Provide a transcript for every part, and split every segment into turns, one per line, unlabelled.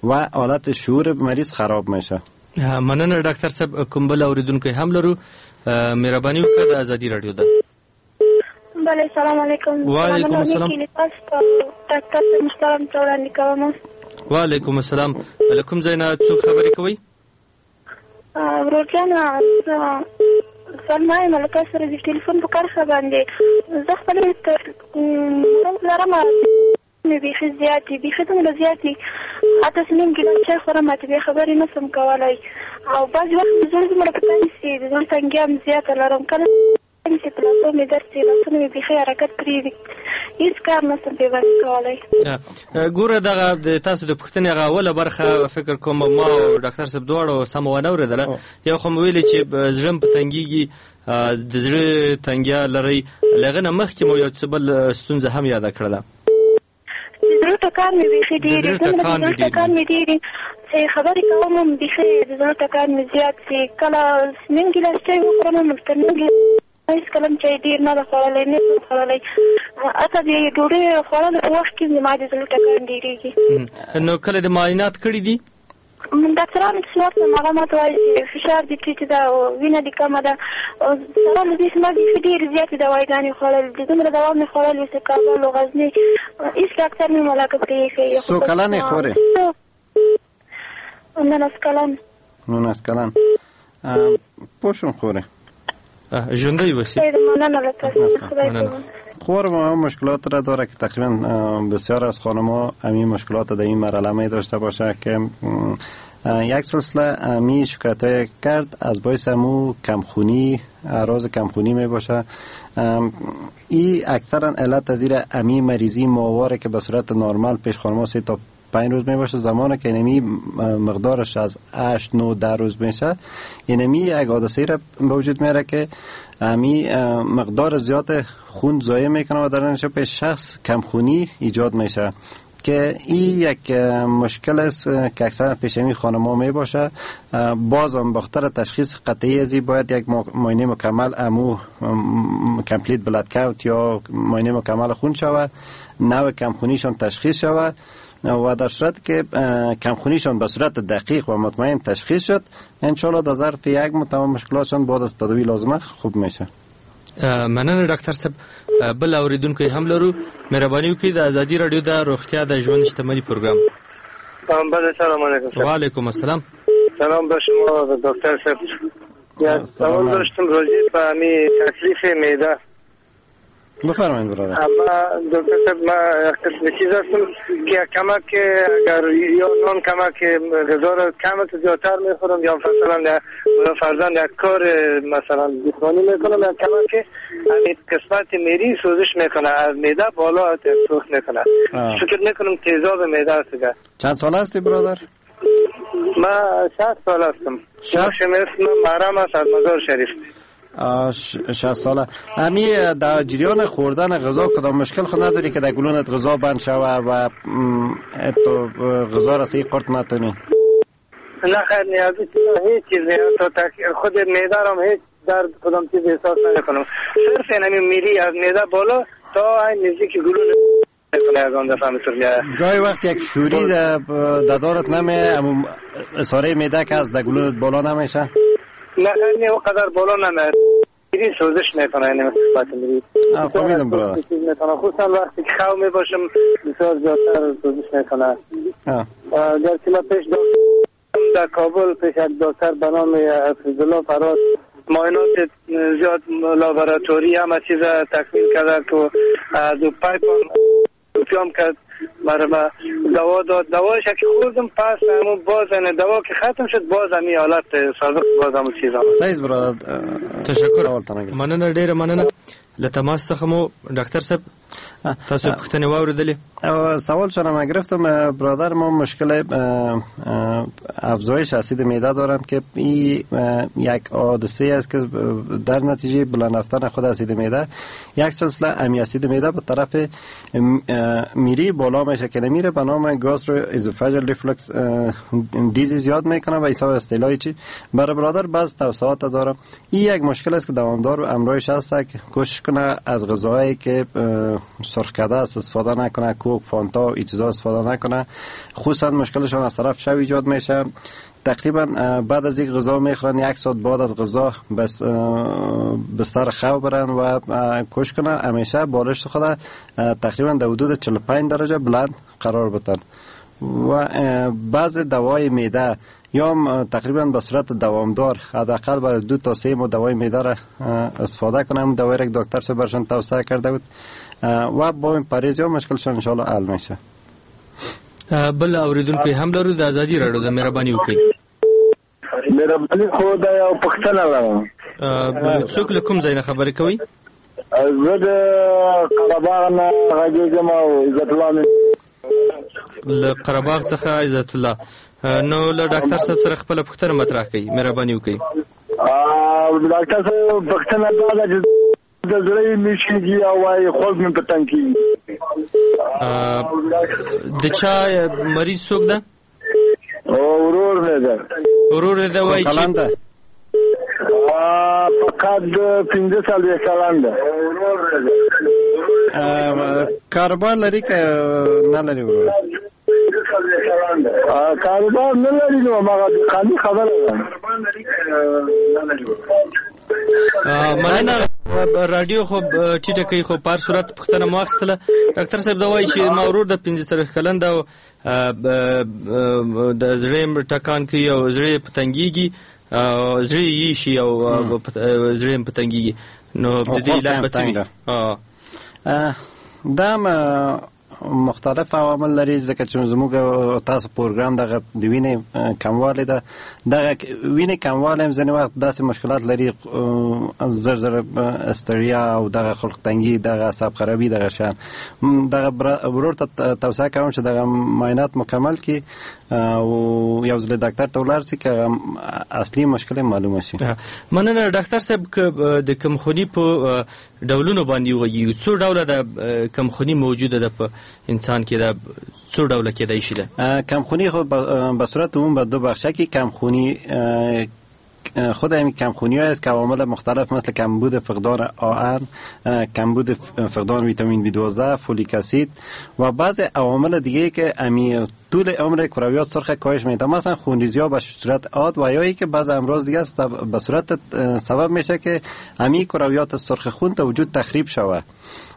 و حالت شعور مریض خراب میشه.
مننه ډاکټر صاحب. کوم بل اوریدونکی هم لرو، مهرباني وکړه، د ازادي راډیو ده.
بله، سلام علیکم.
وعلیکم السلام.
ډاکټر محترم ته وړاندې کوم.
وعلیکم السلام. له کوم ځای نه څوک خبرې کوي؟
ورور جانه، سلمى یم، له تاسو سره د ټلیفون په کرښه باندې. زه خپل مرض لرم، مې بیخي زیات دي، بیخي دومره زیات دي، حتی چې نیم ګیلاس چای خورم حتې بیا خبرې نه سم کولی، او بعضې وخت مې زړه دومره په تنګ سي، د زړه تنګیا هم زیاته لرم، کله چې په لاسو مې درد سي، لاسونه مې بیخي حرکت پرېږدي، هیڅ کار نه سم پرې باندې کولی.
ګوره، دغه د تاسو د پوښتنې هغه اوله برخه فکر کوم ما او ډاکټر صاحب دواړو سمه ونه اورېدله. یو خو مو ویلي چې زړه مې په تنګېږي، د زړه تنګیا لرئ، له هغه نه مخکې مو یو څه بل ستونزه هم یاده کړله.
د زړه ټکان مې بیخي ډېر
د
دي،
زړه
دومره د
ټکان
زړه
دې ډېر
ټکان
دي.
مې ډېر دي چې خبرې کوم هم بیخي د زړه ټکان مې زیات سي. کله نیم ګیلاس چای وخورم هم تر نیم ګیلاس هېڅ کله هم چای ډېر نه ده خوړلی، نه یم خوړلی، حتی د ډوډۍ خوړلو په وخت کې زما د زړه ټکان ډېرېږي.
نو کله د معاینات کړي دي؟
ډاکټرانو چې ورته هغه ماته وایي چې فشار دې ټیټ ده او وینه دې کمه ده، او سره له دې چې ما بیخي ډېرې زیاتې دواګانې خوړلې دي، دومره دوا مې خوړلې چې کابل او غزني هېڅ ډاکټر مې ملاکه پرې ایښی.
څو کلن یې خورې؟
19 کلن.
19 کلن. پوه شوم خورې.
ژوندی اوسې.
خیر، مننه له تاسو څخه، خدای
مننه.
په امان.
خور ما مشکلات را داره که تقریبا بسیار از خانم‌ها همین مشکلات در این مرحله می داشته باشه که یک سلسله می شکایت‌های کرد از باعث امو کمخونی، اعراض کمخونی می باشه. ای اکثرا علت از زیر امی مریضی ماواره که به صورت نرمال پیش خانم‌ها 3 تا 5 روز می باشه، زمانی که اینمی مقدارش از 8 9 10 روز میشه، اینمی یک حادثه را به وجود میاره که امی مقدار زیاد خون ضایع میکنه و در نتیجه پیش شخص کمخونی ایجاد میشه که این یک مشکل است که اکثرا پیش امی خانم‌ها می باشه. بازم بخاطر تشخیص قطعی از این باید یک معاینه مکمل امو complete blood count یا معاینه مکمل خون شود، نوع کمخونیشان تشخیص شود و در صورت که کمخونیشان به صورت دقیق و مطمئن تشخیص شد، انشالله در ظرف یک ماه تمام مشکلاتشان بعد از تداوی لازمه خوب میشه.
مننه ډاکټر صاحب. بل اوریدونکی هم لرو، مهرباني وکړئ، د ازادي راډیو د روغتیا د ژوند شتمني پروګرام.
بله، سلام علیکم.
وعلیکم السلام.
سلام به شما و دکتر صاحب. یک
سلام.
سوال داشتم راجع به همی تکلیف معده.
بفرمایید برادر.
اما دکتر صاحب، ما یک قسم چیز هستم که کمک اگر یا نان کمک غذا را کم زیادتر میخورم یا مثلا یا فرضاً یک کار مثلا جسمانی میکنم، یا کمک همین قسمت میری سوزش میکنه، از معده بالا سوخت میکنه. فکر میکنم تیزاب معده است دیگه.
چند ساله هستی برادر؟
ما 60 سال هستم.
60؟
اسم محرم است از مزار شریف.
60 ساله. امی در جریان خوردن غذا کدام مشکل خود نداری که در گلونت غذا بند شوه و تو غذا را صحیح قورت نتونی؟
نه خیر، نیازی هیچ چیز نه. تا خود معده را هم هیچ درد کدام چیز احساس نمیکنم. صرف این همین میری از معده بالا تا این نزدیک گلون میکنه، از آن دفعه همینطور میاد.
گاهی وقت یک شوری در دارت نمی، امو اصاره معده که از در گلونت بالا نمیشه؟
نه، نه، اونقدر بالا نمیاد. میری سوزش میکنه، یعنی قسمت میری.
فهمیدم برادر.
چیز میکنه، خصوصا وقتی که خو میباشم بسیار زیادتر سوزش میکنه. گرچه من پیش دکتر در کابل، پیش یک دکتر به نام فضلالله فراز، معاینات زیاد لابراتوری همه چیز تکمیل کرده که از او پایپ پیام کرد برای ما دوا داد. دوایش که خوردم پس همون باز نه دوا که ختم شد باز همی حالت سابق باز همون چیز آمد.
صحیح برادر.
تشکر.
سوال تنگ.
مننه، ډیره مننه له تماس څخه مو ډاکټر صاحب. تاسو پوښتنې واورېدلې؟
سوال شما من گرفتم. برادر ما مشکل افزایش اسید معده دارند که این یک حادثه است که در نتیجه بلند رفتن خود اسید معده یک سلسله امی اسید معده به طرف میری بالا میشه که نمیره به نام gastroesophageal reflux disease یاد میکنه و حساب اصطلاحی چی برای برادر بعض توسعات داره. این یک مشکل است که دوامدار و امرایش هست که کوشش کنه از غذاهایی که سرخ کرده است استفاده نکنه، کوک، فانتا این چیزا استفاده نکنه. خصوصا مشکلشان از طرف شب ایجاد میشه. تقریبا بعد از یک غذا میخورن، یک ساعت بعد از غذا بس بستر خواب برن و کوش کنن. همیشه بالشت خود تقریبا در حدود 45 درجه بلند قرار بدن. و بعض دوای معده یا تقریبا به صورت دوامدار حداقل برای 2 تا 3 ماه دوای معده را استفاده کنم. دوای را دکتر صاحب برشان توصیه کرده بود و با این پرهیز یا مشکلشان ان شاء الله حل میشه.
بل اوریدونکو هم لرو د ازادي راډیو د مهرباني وکړئ.
مهرباني خو دا یو پوښتنه لرم.
څوک له کوم ځای نه خبرې کوي؟
زه د قرهباغ نه غږېږم او عزت الله
له قرهباغ څخه عزت الله. نو له ډاکټر صاحب سره خپله پوښتنه مطرح کړئ، مهرباني وکړئ.
ډاکټر صاحب پوښتنه دا ده چې د زړه مې شېږي او وایي خوب مې په تنګ کېږي.
د چا مریض څوک ده؟
ورور مې ده.
ورور دې ده وایي چې
فقط 45 کلن ده.
کاروبار لري که نه لري ورور؟
کاروبار نه لري، نو هماغه د قانوني خبره ده.
مننه. راډیو خو ټیټه کوي، خو په هر صورت پوښتنه مو واخیستله. ډاکټر صاحب دا وایي چې ما ورور د 45 کلن ده او د زړه یې ټکان کوي او زړه یې په تنګېږي، زړه یې شي او زړه یې په تنګېږي، نو د دې علت به څه وي؟
دا مختلف عوامل لري، ځکه چې زموږ تاسو پروګرام دغه د وینې کموالی ده. دغه وینې کموالی هم ځینې وخت داسې مشکلات لري، زر زر استریا او دغه خلق تنګي، دغه عصب خرابي، دغه شیان. دغه ورور ته توصیه کوم چې دغه معاینات مکمل کړي او یو ځل ډاکټر ته ولاړ شي که اصلي مشکل معلومه شي.
مننه ډاکټر صاحب. که د کمخوني په ډولونو باندې وغږېږو، څو ډوله د کمخوني موجوده ده په انسان کې؟ ده څو ډوله کېدای شي ده؟
کمخونی خو به صورت عموم به دو بخشه که کمخونی خود همین کمخونی های است که عوامل مختلف مثل کمبود فقدان آهن، کمبود فقدان ویتامین B12، فولیک اسید و بعض عوامل دیگه که امی طول عمر کرویات سرخ کاهش میده، مثلا خونریزی ها به صورت عاد و یا که بعض امراض دیگه است به صورت سبب میشه که امی کرویات سرخ خون تا وجود تخریب شوه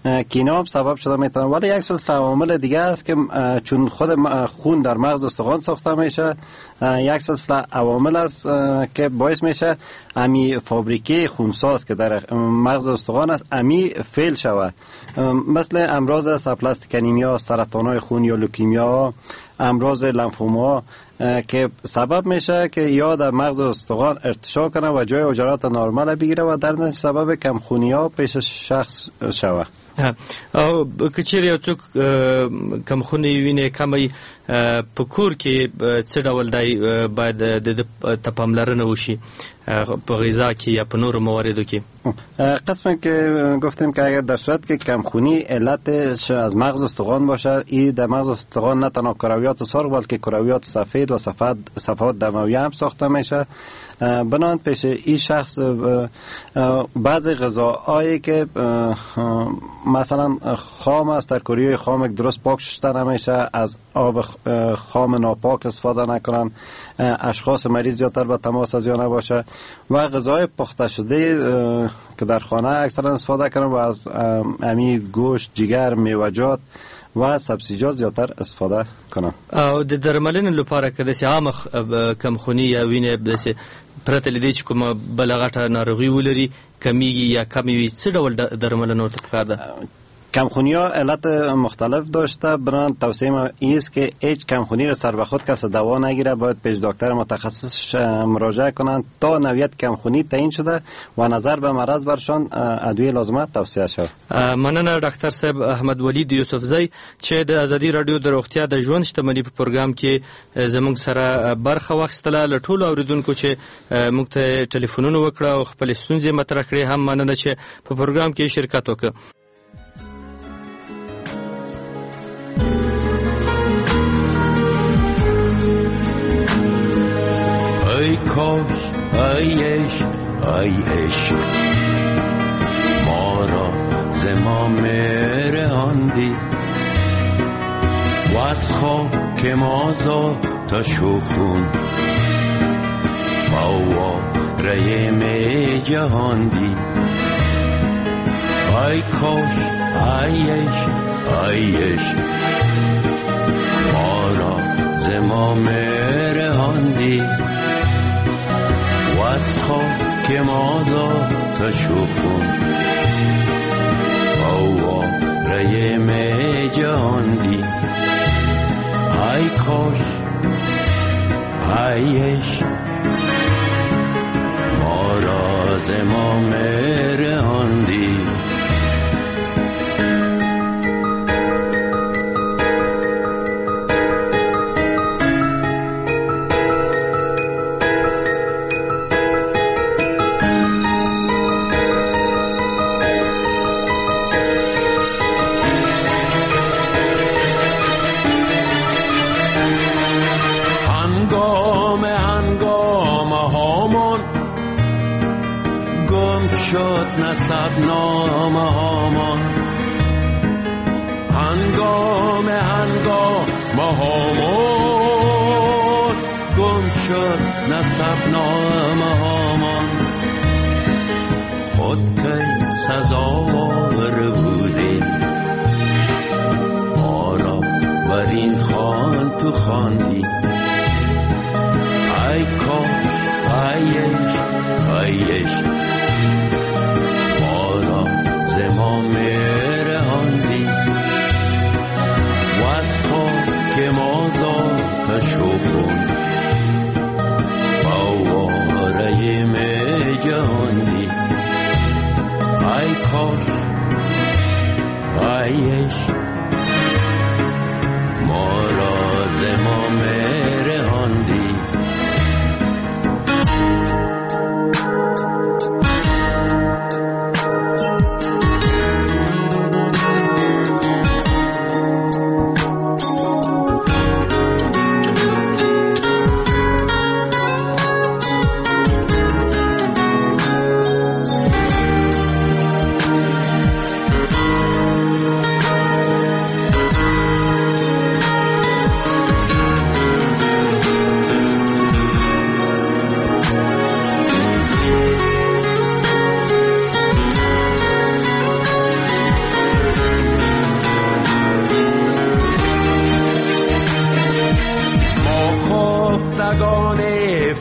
که اینا هم سبب شده میتونه. ولی یک سلسله عوامل دیگه است که چون خود خون در مغز استخوان ساخته میشه، یک سلسله عوامل است که باعث میشه امی فابریکه خونساز که در مغز استخوان است امی فعل شوه، مثل امراض aplastic anemia، سرطان های خون یا لوکیمیا، امراض لنفوما که سبب میشه که یا در مغز استخوان ارتشاء کنه و جای حجرات نرمال بگیره و در نتیجه سبب کمخونی ها پیش شخص شوه.
او که چیرې یو څوک کمخوني وینې کمه په کور کې څه ډول دی باید د ته پاملرنه وشي په غذا کې یا په نورو مواردو کې؟
قسمی که گفتیم که اگر در صورت که کمخونی علتش از مغز استخوان باشه، این در مغز استخوان نه تنها کرویات سرخ بلکه کرویات سفید و صفحات دموی هم ساخته میشه. بنابراین پیش این شخص بعضی غذاهایی که مثلا خام است، در کریوی خام درست پاک شسته نمیشه، از آب خام ناپاک استفاده نکنن، اشخاص مریض زیادتر به تماس از یا نباشه و غذای پخته شده که در خانه اکثرا استفاده کنن و از امی گوشت، جگر، میوه‌جات و سبزیجات زیاتر استفاده کنن.
او د درملنې لپاره که داسې عامه کمخوني یا وینې داسې پرته له دې چې کومه بله غټه ناروغي ولري کمیږي یا کمې وي، څه ډول درملنه ورته پکار ده؟
کمخونی ها علت مختلف داشته. بنابراین توصیه ما این است که هیچ کمخونی را سر به خود کس دوا نگیره، باید پیش دکتر متخصص مراجعه کنند تا نوعیت کمخونی تعیین شده و نظر به مرض برشان ادویه لازمه توصیه شود.
مننه ډاکټر صاحب احمد ولید یوسفزی چې د ازادي راډیو د روغتیا د ژوند شتمني په پروګرام کې زموږ سره برخه واخیستله. له ټولو اوریدونکو چې موږ ته ټلیفونونه وکړه او خپلې ستونزې مطرح کړې هم مننه چې په پروګرام کې شرکت وکړ.
ای کاش، ای عشق، ای عشق، ما را ز ما رهان. از خاک ما ذاتش و خون فواره می جهاندی. ای کاش ای عشق ای عشق ما را ز ما مرهاندی و از خاک ما ذاتش و خون فواره می جهاندی. ای کاش ای عشق ما را ز ما مرهاندی. شد نسب نامه هامان هنگام هنگام هامان گم شد نسب نامه هامان. خود کی سزاوار بودی ما را بر این خوان تو خواندی. ای کاش ای عشق ای عشق ما را ز ما مرهاندی و از خاک ما ذاتش و خون فواره می جهاندی. ای کاش ای عشق ما را ز ما مرهاندی.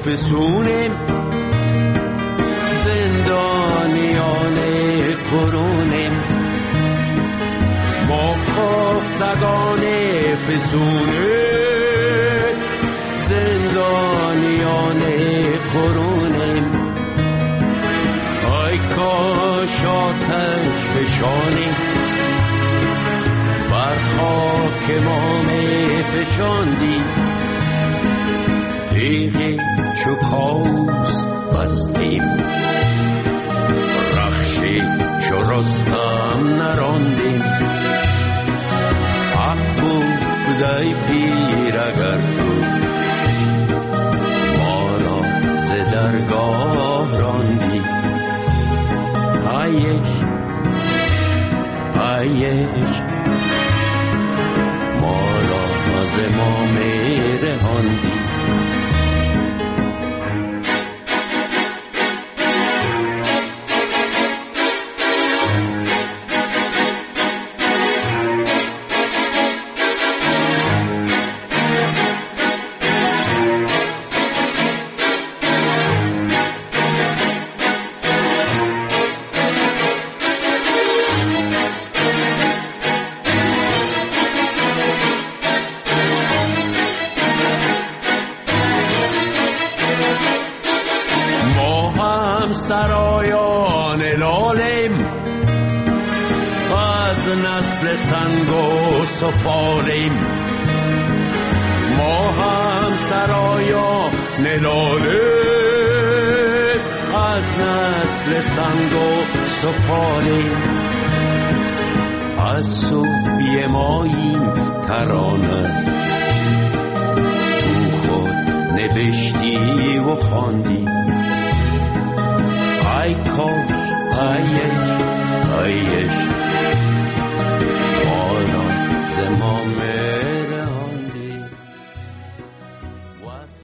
فسونیم زندانیان قرونیم، ما خفتگان فسونیم زندانیان قرونیم. ای کاش آتش فشانی بر خاک ما می فشاندی، تیغ چو کاوس بستیم رخشی چو رستم نراندیم. حق بود ای پیر اگر تو ما را ز درگاه راندی. ای عشق ای عشق ما را ز ما میرهاندی. سرایان لالیم از نسل سنگ و سفالیم، ما هم سرایان لالیم از نسل سنگ و سفالیم. از صبح ماییم ترانه تو خود نوشتی و خواندی،